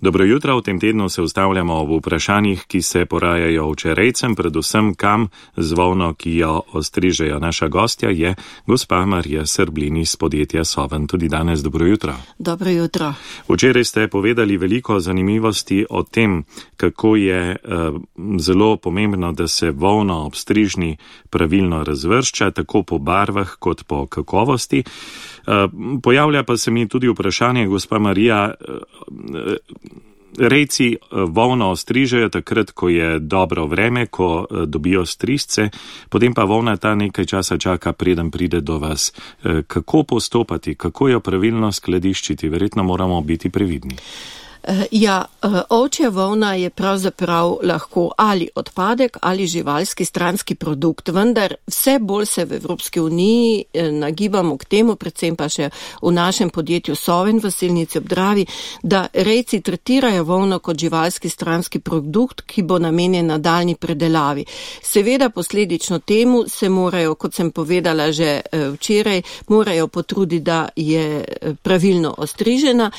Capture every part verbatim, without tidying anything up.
Dobro jutro, v tem tednu se ustavljamo v vprašanjih, ki se porajajo včerejcem, predvsem kam z volno, ki jo ostrižejo. Naša gostja je gospa Marija Srblin iz podjetja Soven. Tudi danes dobro jutro. Dobro jutro. Včeraj ste povedali veliko zanimivosti o tem, kako je uh, zelo pomembno, da se volno ob strižni pravilno razvršča, tako po barvah kot po kakovosti. Uh, pojavlja pa se mi tudi vprašanje, gospa Marija, uh, rejci volno ostrižejo takrat, ko je dobro vreme, ko dobijo strizce, potem pa volna ta nekaj časa čaka, preden pride do vas. Kako postopati, kako jo pravilno skladiščiti? Verjetno moramo biti previdni. Ja, ovčja volna je pravzaprav lahko ali odpadek ali živalski stranski produkt, vendar vse bolj se v Evropski uniji nagibamo k temu, predvsem pa še v našem podjetju Soven v Selnici ob Dravi, da rejci tretirajo volno kot živalski stranski produkt, ki bo namenjen nadaljnji predelavi. Seveda posledično temu se morajo, kot sem povedala že včeraj, morajo potruditi, da je pravilno ostrižena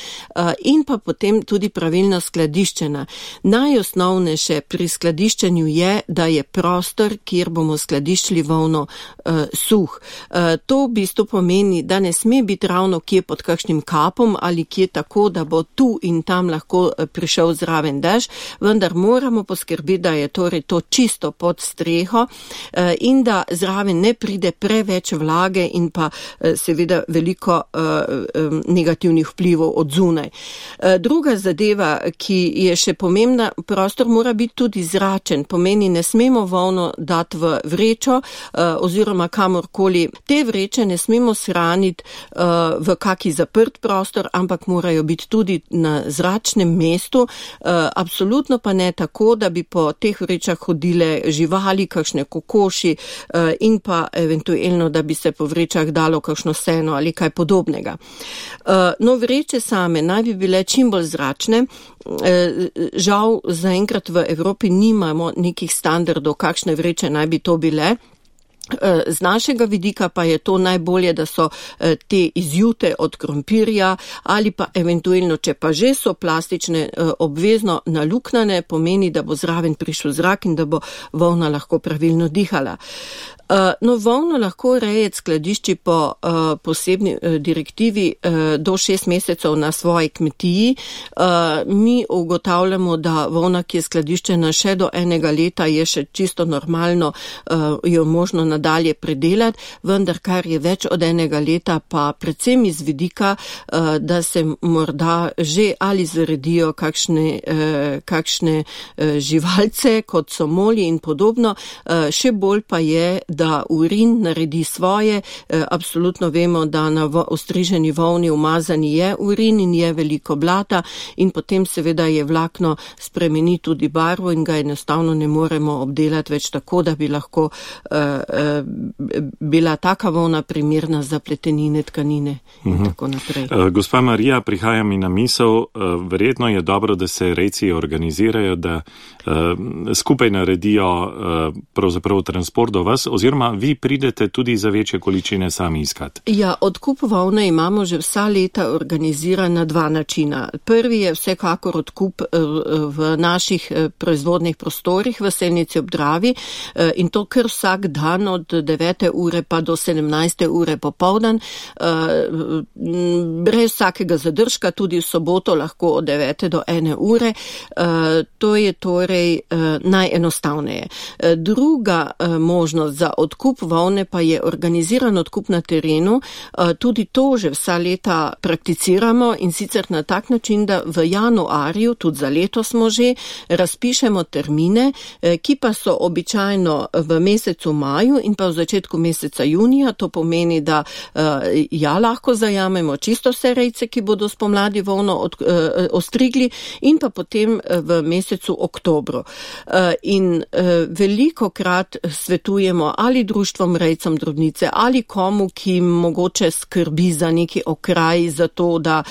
in pa potem tudi pravilno skladiščena. Najosnovnejše pri skladiščenju je, da je prostor, kjer bomo skladiščili volno, uh, suh. Uh, to v bistvu pomeni, da ne sme biti ravno kje pod kakšnim kapom ali kje tako, da bo tu in tam lahko prišel zraven dež, vendar moramo poskrbeti, da je torej to čisto pod streho uh, in da zraven ne pride preveč vlage in pa uh, seveda veliko uh, um, negativnih vplivov od zunaj. Uh, druga zadeva, ki je še pomembna, prostor mora biti tudi zračen, pomeni ne smemo volno dati v vrečo uh, oziroma kamorkoli. Te vreče ne smemo shraniti uh, v kaki zaprt prostor, ampak morajo biti tudi na zračnem mestu, uh, absolutno pa ne tako, da bi po teh vrečah hodile živali, kakšne kokoši uh, in pa eventualno, da bi se po vrečah dalo kakšno seno ali kaj podobnega. Uh, no, vreče same naj bi bile čim bolj zračne. Žal, zaenkrat v Evropi nimamo nekih standardov, kakšne vreče naj bi to bile. Z našega vidika pa je to najbolje, da so te izjute od krompirja ali pa eventualno, če pa že so plastične, obvezno naluknjane, pomeni, da bo zraven prišel zrak in da bo volna lahko pravilno dihala. No, volno lahko rejec skladišči po uh, posebni uh, direktivi uh, do šest mesecev na svoji kmetiji. Uh, mi ugotavljamo, da volna, ki je skladiščena še do enega leta, je še čisto normalno, uh, jo možno nadalje predelati, vendar kar je več od enega leta, pa predvsem iz vidika, uh, da se morda že ali zaredijo kakšne, uh, kakšne uh, živalce, kot so moli in podobno, uh, še bolj pa je, da urin naredi svoje. E, absolutno vemo, da na ostriženi volni umazani je urin in je veliko blata in potem seveda je vlakno spremeni tudi barvo in ga enostavno ne moremo obdelati več tako, da bi lahko e, e, bila taka volna primerna za pletenine, tkanine in uh-huh. tako naprej. E, gospa Marija, prihaja mi na misel, e, verjetno je dobro, da se rejci organizirajo, da e, skupaj naredijo e, pravzaprav transport do vas, oziroma vi pridete tudi za večje količine sami iskati. Ja, odkup volne imamo že vsa leta organiziran na dva načina. Prvi je vsekakor odkup v naših proizvodnih prostorih v Selnici ob Dravi in to kar vsak dan od devete ure pa do sedemnajste ure popoldan. Brez vsakega zadržka, tudi v soboto lahko od devete do ene ure. To je torej najenostavneje. Druga možnost za odkup volne pa je organiziran odkup na terenu. Tudi to že vsa leta prakticiramo in sicer na tak način, da v januarju, tudi za leto smo že, razpišemo termine, ki pa so običajno v mesecu maju in pa v začetku meseca junija. To pomeni, da ja, lahko zajamemo čisto vse rejce, ki bodo spomladi volno od, ostrigli in pa potem v mesecu oktobru. In veliko krat svetujemo ali društvom rejcem drobnice ali komu, ki mogoče skrbi za neki okraj, za to, da,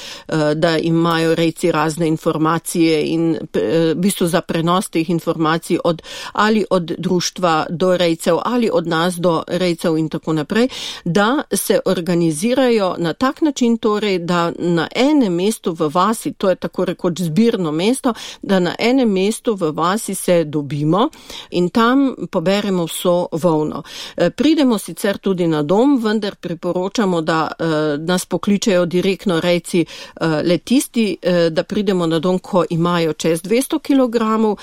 da imajo rejci razne informacije in v bistvu za prenos teh informacij od, ali od društva do rejcev ali od nas do rejcev in tako naprej, da se organizirajo na tak način torej, da na enem mestu v vasi, to je tako rekoč zbirno mesto, da na enem mestu v vasi se dobimo in tam poberemo vso volno. Pridemo sicer tudi na dom, vendar priporočamo, da nas pokličejo direktno rejci le tisti, da pridemo na dom, ko imajo čez dvesto kilogramov,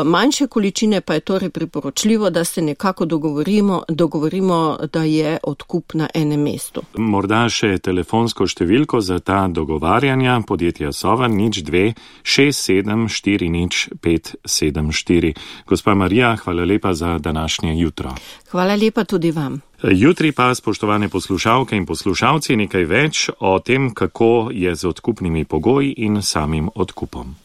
manjše količine pa je torej priporočljivo, da se nekako dogovorimo, dogovorimo, da je odkup na enem mestu. Morda še telefonsko številko za ta dogovarjanja podjetja Sova nič dve šest sedem štiri nič pet sedem štiri. Gospa Marija, hvala lepa za današnje jutro. Hvala lepa tudi vam. Jutri pa, spoštovane poslušalke in poslušalci, nekaj več o tem, kako je z odkupnimi pogoji in samim odkupom.